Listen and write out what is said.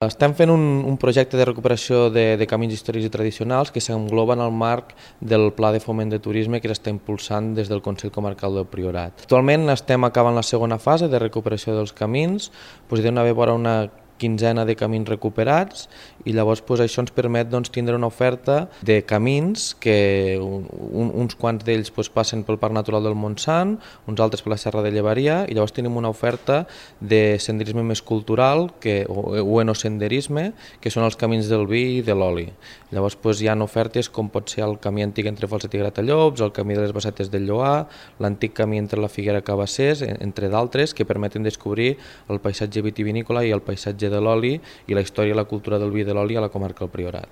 Estem fent un projecte de recuperació de camins històrics i tradicionals que s'engloba en el marc del Pla de Foment de Turisme que s'està impulsant des del Consell Comarcal del Priorat. Actualment estem acabant la segona fase de recuperació dels camins, hi deu haver vora una quinzena de camins recuperats i llavors això ens permet tindre una oferta de camins que uns quants d'ells passen pel Parc Natural del Montsant, uns altres per la Serra de Llevaria i llavors tenim una oferta de senderisme més cultural o enosenderisme que són els camins del vi i de l'oli. Llavors hi ha ofertes com pot ser el camí antic entre Falset i Gratallops, el camí de les Bassetes del Lloar, l'antic camí entre la Figuera i Cabassers, entre d'altres, que permeten descobrir el paisatge vitivinícola i el paisatge de l'oli i la història i la cultura del vi i de l'oli a la comarca del Priorat.